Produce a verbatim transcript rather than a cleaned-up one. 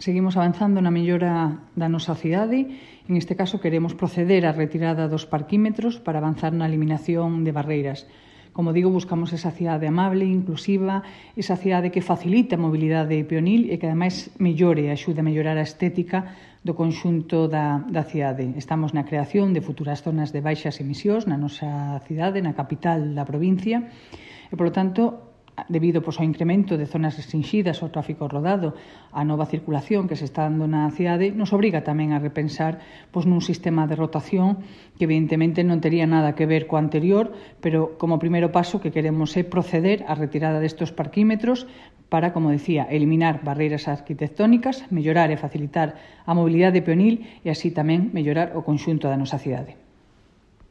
Seguimos avanzando na mellora da nosa cidade. En este caso, queremos proceder á retirada dos parquímetros para avanzar na eliminación de barreiras. Como digo, buscamos esa cidade amable, inclusiva, esa cidade que facilite a mobilidade peonil e que, ademais, mellore, axude a mellorar a estética do conxunto da, da cidade. Estamos na creación de futuras zonas de baixas emisións na nosa cidade, na capital da provincia, e, polo tanto, debido pois, ao incremento de zonas restringidas ao tráfico rodado, a nova circulación que se está dando na cidade, nos obriga tamén a repensar pois, nun sistema de rotación que evidentemente non tería nada que ver co anterior, pero como primeiro paso que queremos é proceder á retirada destes parquímetros para, como decía, eliminar barreiras arquitectónicas, mellorar e facilitar a mobilidade peonil e así tamén mellorar o conxunto da nosa cidade.